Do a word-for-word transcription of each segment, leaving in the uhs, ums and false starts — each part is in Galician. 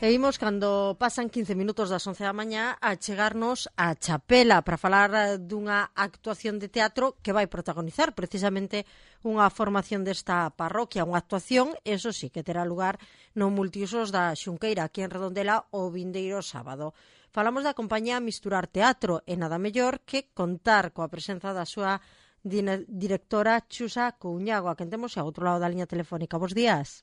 E imos, cando pasan quince minutos das once da mañá, a chegarnos a Chapela para falar dunha actuación de teatro que vai protagonizar precisamente unha formación desta parroquia, unha actuación, eso sí, que terá lugar no multiusos da Xunqueira, aquí en Redondela, o vindeiro sábado. Falamos da compañía Misturar Teatro, e nada mellor que contar coa presenza da súa directora Chusa Couñago, a quen temos ao outro lado da liña telefónica. Bos días.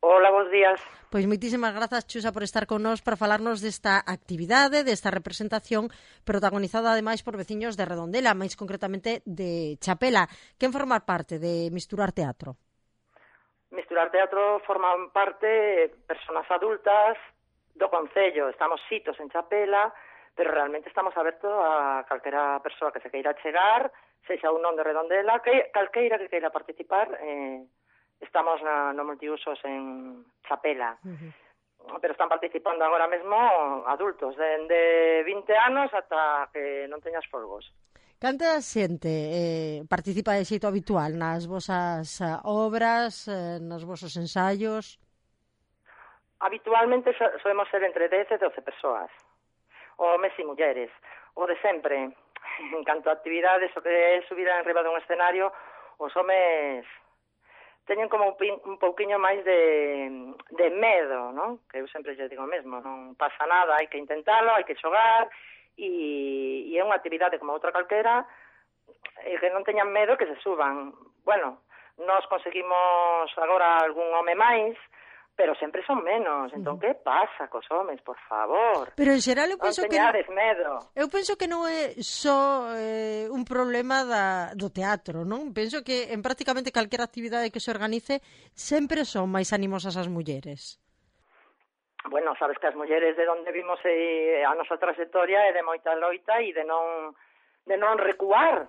Hola, bons días. Pois moitísimas grazas, Chusa, por estar con nós para falarnos desta actividade, desta representación protagonizada ademais por veciños de Redondela, máis concretamente de Chapela. Quen formar parte de Misturar Teatro? Misturar Teatro forman parte persoas adultas do Concello. Estamos sitos en Chapela, pero realmente estamos abertos a calquera persoa que se queira chegar, sexa un non de Redondela, que calqueira que queira participar. eh, Estamos na, no multiusos en Chapela, uh-huh. Pero están participando agora mesmo adultos, de, de vinte anos ata que non teñas folgos. Canta xente eh, participa de xeito habitual nas vosas uh, obras, eh, nos vosos ensaios? Habitualmente so, solemos ser entre dez e doce persoas, homes e mulleres, o de sempre. En canto a actividades, o que é subir en riba dun escenario, os homes teñen como un, pin, un pouquiño máis de, de medo, non? Que eu sempre lle digo mesmo, non pasa nada, hai que intentalo, hai que xogar, e, e é unha actividade como outra calquera, e que non teñan medo que se suban. Bueno, nós conseguimos agora algún home máis, pero sempre son menos. Entón, que pasa cos homes, por favor? Pero en xeral eu penso non que teñades medo. Eu penso que non é só eh, un problema da, do teatro, non? Penso que en prácticamente calquera actividade que se organice sempre son máis animosas as mulleres. Bueno, sabes que as mulleres de onde vimos eh, a nosa trayectoria é de moita loita e de non de non recuar,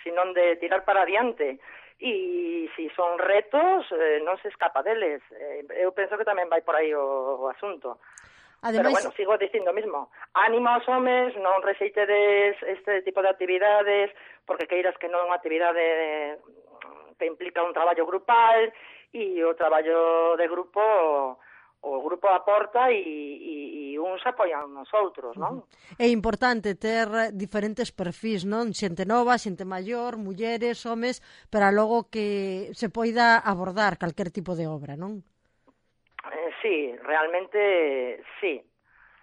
sino de tirar para adiante. E se son retos, eh, non se escapa deles. Eh, eu penso que tamén vai por aí o, o asunto. Ademais... Pero bueno, sigo dicindo mismo, ánimo aos homes, non rexeitedes este tipo de actividades, porque queiras que non é unha actividade que implica un traballo grupal, e o traballo de grupo, o grupo aporta e, e, e uns apoian nos outros, non? É importante ter diferentes perfis, non? Xente nova, xente maior, mulleres, homes, para logo que se poida abordar calquer tipo de obra, non? Eh, sí, realmente sí.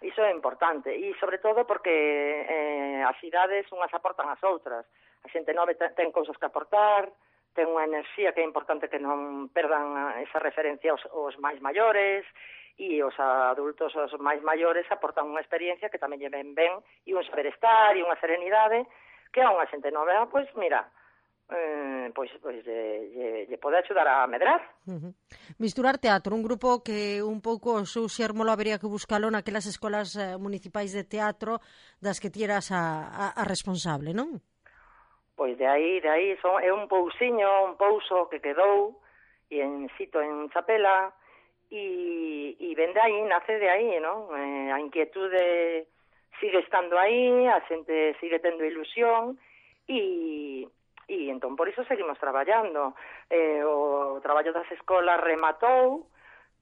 Iso é importante. E sobre todo porque eh, as idades unhas aportan as outras. A xente nova ten cousas que aportar, ten unha enerxía que é importante que non perdan esa referencia aos, aos máis maiores, e os adultos, os máis maiores, aportan unha experiencia que tamén lle ven ben, e un saber estar, e unha serenidade, que a unha xente nova, pois, mira, eh, pois, pois lle, lle, lle pode axudar a medrar. Uh-huh. Misturar Teatro, un grupo que un pouco o seu xérmolo habería que buscalo naquelas escolas eh, municipais de teatro das que tieras a, a, a responsable, non? Pois de aí, de aí, son, é un pousiño, un pouso que quedou, e en sito en Chapela, e, e ven de aí, nace de aí, non? Eh, a inquietude sigue estando aí, a xente sigue tendo ilusión, e, e entón por iso seguimos traballando. Eh, o traballo das escolas rematou,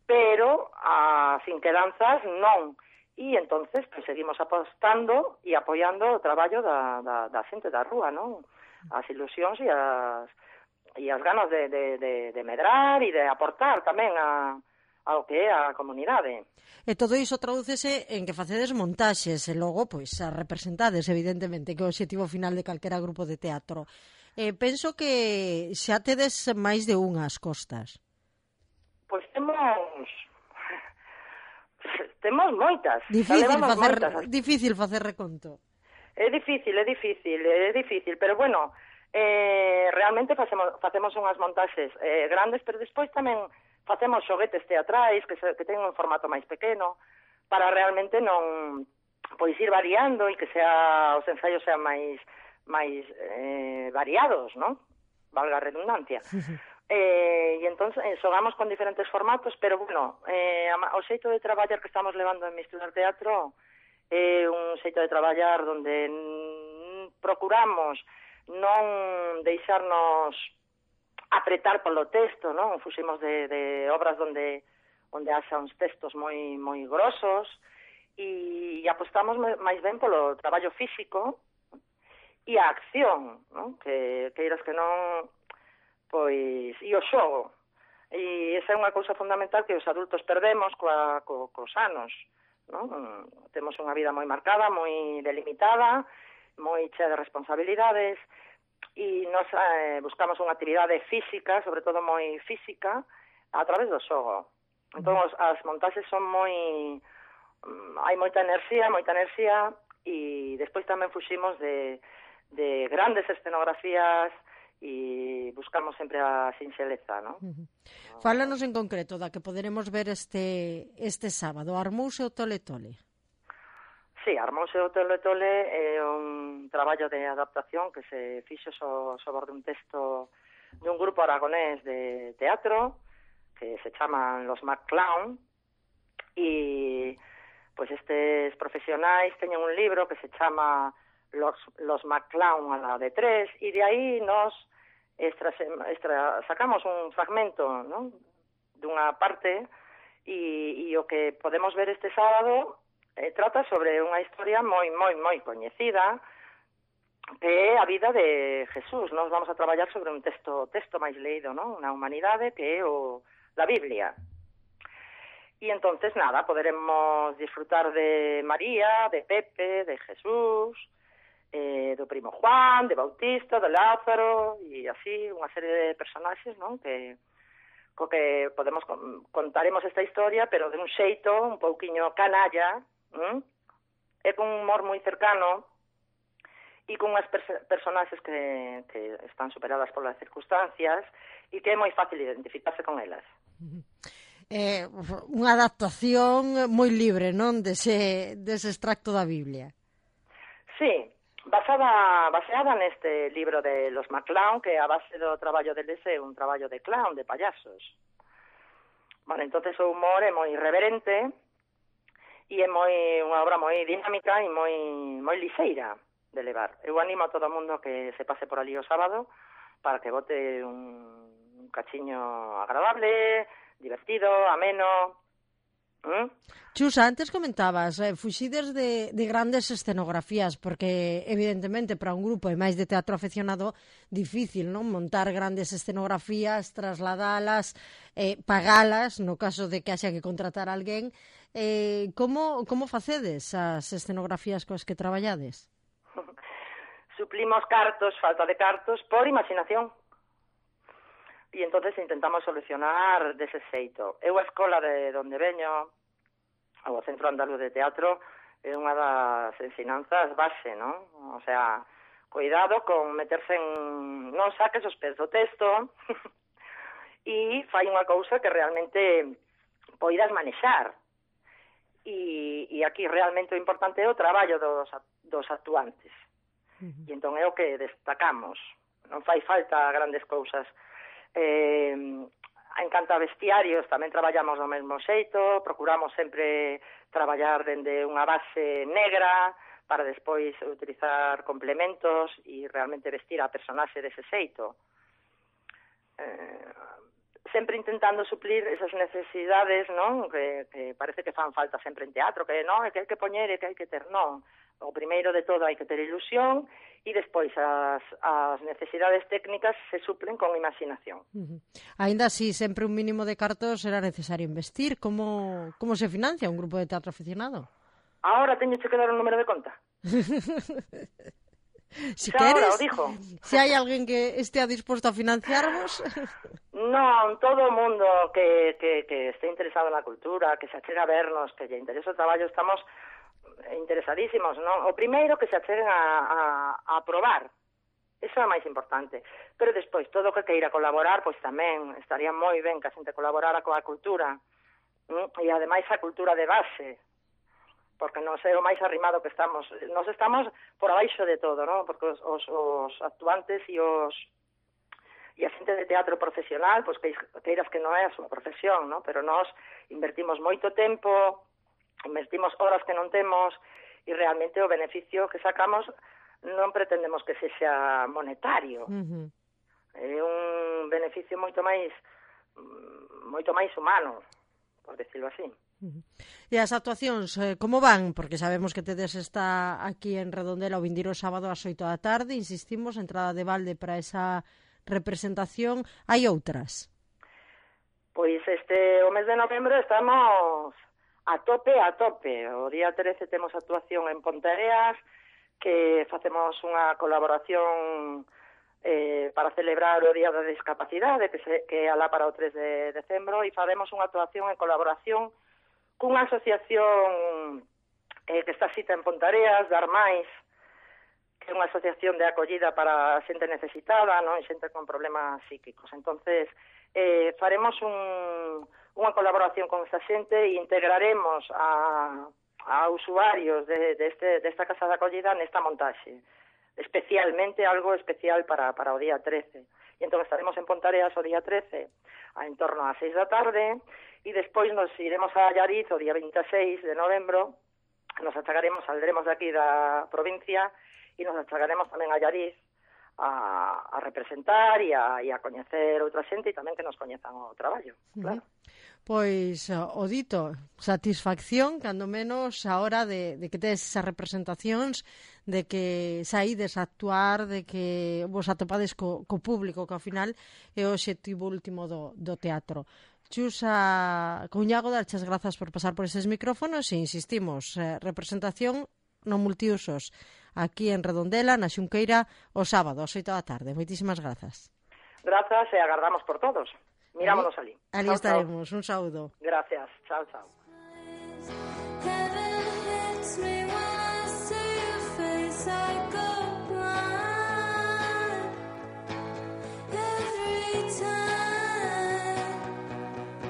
pero as inquedanzas non. E entonces pues, seguimos apostando e apoiando o traballo da, da, da xente da rúa, non? As ilusións e as, e as ganas de, de, de, de medrar e de aportar tamén a, ao que é a comunidade. E todo iso tradúcese en que facedes montaxes e logo, pois, a representades, evidentemente, que é o objetivo final de calquera grupo de teatro. Eh, penso que xa tedes máis de unhas costas. Pois temos... temos moitas. Difícil facer, moitas. difícil facer reconto. É difícil, é difícil, é difícil, pero bueno, eh, realmente facemos, facemos unhas montaxes eh, grandes, pero despois tamén facemos xoguetes teatrais que, se, que ten un formato máis pequeno, para realmente non, pois ir variando e que sea, os ensaios sean máis, máis eh, variados, non? Valga a redundancia. Eh, e entón eh, xogamos con diferentes formatos, pero bueno, eh, o xeito de traballar que estamos levando en Misturar Teatro é un xeito de traballar onde procuramos non deixarnos apretar polo texto, non? Fuximos de, de obras onde onde haxa uns textos moi moi grosos, e apostamos máis ben polo traballo físico e a acción, non? Que queiras que non, pois, e o xogo. E esa é unha cousa fundamental que os adultos perdemos coa, co, cos anos, non? Temos unha vida moi marcada, moi delimitada, moi chea de responsabilidades, e nos eh, buscamos unha actividade física, sobre todo moi física, a través do xogo. Entón, os, as montaxes son moi... Um, hai moita enerxía, moita enerxía, e despois tamén fuximos de, de grandes escenografías e buscamos sempre a sinxeleza, non? Uh -huh. Fálanos en concreto da que poderemos ver este este sábado, Armouse o Tole Tole. Sí, Armouse o Tole Tole é un traballo de adaptación que se fixo so, sobre un texto de un grupo aragonés de teatro que se chaman Los McClown, e pois estes profesionais teñen un libro que se chama Los, Los McClown a la de tres, e de aí nos extra, extra, sacamos un fragmento, non? Dunha parte, e, e o que podemos ver este sábado eh, trata sobre unha historia moi, moi, moi coñecida, que é a vida de Jesús. Nos vamos a traballar sobre un texto texto máis leído, non? Na humanidade, que é o, la Biblia. Y entonces, nada, poderemos disfrutar de María, de Pepe, de Jesús, eh, do primo Juan, de Bautista, de Lázaro, e así unha serie de personaxes, non? Que, co que podemos contaremos esta historia, pero de un xeito un pouquiño canalla, ¿m? E con un humor moi cercano, e con unhas pers personaxes que, que están superadas polas circunstancias, e que é moi fácil identificarse con elas. Eh, unha adaptación moi libre, non? Dese, dese extracto da Biblia. Sí, basada, baseada neste libro de Los McClown, que a base do traballo deles é un traballo de clown, de payasos. Bueno, entonces o humor é moi irreverente e é moi unha obra moi dinámica e moi moi lixeira de levar. Eu animo a todo o mundo que se pase por ali o sábado para que bote un, un cachiño agradable, divertido, ameno. ¿Mm? Chus, antes comentabas, eh, fuxides de, de grandes escenografías, porque evidentemente para un grupo e máis de teatro afeccionado difícil, non? Montar grandes escenografías, trasladalas, eh, pagalas, no caso de que haxa que contratar a alguén. Eh, como, como facedes as escenografías coas que traballades? Suplimos cartos, falta de cartos, por imaginación. E entonces intentamos solucionar dese xeito. Eu a escola de onde veño, o Centro Andaluz de Teatro, é unha das ensinanzas base, non? O sea, cuidado con meterse en... Non saques os pés do texto e fai unha cousa que realmente poidas manexar. E, e aquí realmente o importante é o traballo dos, dos actuantes. Uh-huh. E entón é o que destacamos. Non fai falta grandes cousas. Eh, en canto a vestiarios tamén traballamos do mesmo xeito, procuramos sempre traballar dende unha base negra para despois utilizar complementos e realmente vestir a personaxe dese xeito, eh, sempre intentando suplir esas necesidades, non? Que, que parece que fan falta sempre en teatro, que non, é que hai que poñer e que hai que ter, non. O primeiro de todo hai que ter ilusión e despois as, as necesidades técnicas se suplen con imaginación. Uh-huh. Ainda así, sempre un mínimo de cartos será necesario investir. Como, como se financia un grupo de teatro aficionado? Ahora teño que dar un número de conta. Si xa queres, ahora o dijo. Se hai alguén que estea disposto a financiarvos... Non, todo o mundo que, que, que este interesado na cultura, que se achega a vernos, que lle interesa o traballo, estamos interesadísimos, non? O primeiro que se acheguen a, a, a probar, eso é o máis importante, pero despois todo o que queira colaborar, pois tamén estaría moi ben que a xente colaborara coa cultura, ¿no? E ademais a cultura de base, porque non sei o máis arrimado que estamos, nos estamos por abaixo de todo, non? Porque os, os, os actuantes e os e a xente de teatro profesional, pois que queiras que non é a súa profesión, non? Pero nós invertimos moito tempo, invertimos horas que non temos e realmente o beneficio que sacamos non pretendemos que sexa monetario. Uh-huh. É un beneficio moito máis moito máis humano, por decirlo así. Uh-huh. E as actuacións, eh, como van? Porque sabemos que tedes está aquí en Redondela o vindeiro sábado ás oito da tarde, insistimos, entrada de balde para esa representación. Hai outras? Pois este o mes de novembro estamos a tope, a tope. O día trece temos actuación en Ponteareas, que facemos unha colaboración eh, para celebrar o Día da Discapacidade, que, se, que alá para o tres de decembro, e faremos unha actuación en colaboración cunha asociación eh, que está cita en Ponteareas, Dar Máis, que é unha asociación de acollida para xente necesitada, non, e xente con problemas psíquicos. Entonces, eh, faremos un, unha colaboración con esta xente e integraremos a a usuarios de, de, este, de esta casa de acollida nesta montaxe, especialmente algo especial para, para o día trece. E entón estaremos en Ponteareas o día trece a en torno a seis da tarde e despois nos iremos a Allariz o día veintiséis de novembro, nos achagaremos, saldremos de aquí da provincia e nos achagaremos tamén a Allariz a, a representar e a, e a coñecer outra xente e tamén que nos coñezan o traballo, claro. Uh-huh. Pois, o dito, satisfacción, cando menos, a hora de, de que tedes esas representacións, de que saídes a actuar, de que vos atopades co, co público, que ao final é o obxectivo último do, do teatro. Xusa Couñago, darches grazas por pasar por eses micrófonos e insistimos, eh, representación no multiusos aquí en Redondela, na Xunqueira, o sábado, ás oito da tarde. Moitísimas grazas. Grazas e agardamos por todos. Mirámonos ali. Ali chao, estaremos. Chao. Un saúdo. Gracias. Chao, chao. Heaven hits me when I see your face. I go